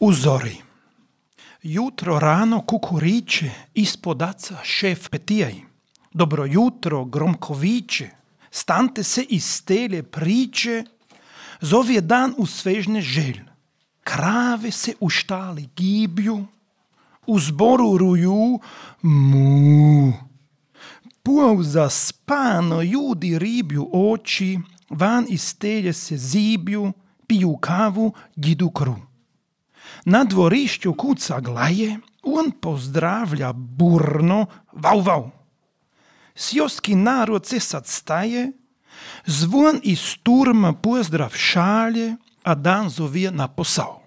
U zori. Jutro rano kukuriče, ispod aca šef petijaj. Dobro jutro, gromko viče, stante se iz stelje priče, zovje dan u svežne želj. Krave se u štali gibju, u zboru ruju mu. Pauza spano, ljudi ribju oči, van iz stelje se zibju, piju kavu, jidu kru. Na dvorišću kuca glaje, on pozdravlja burno, vau, vau. Sjoski narod se sad staje, zvon iz turma pozdrav šalje, a dan zovije na posao.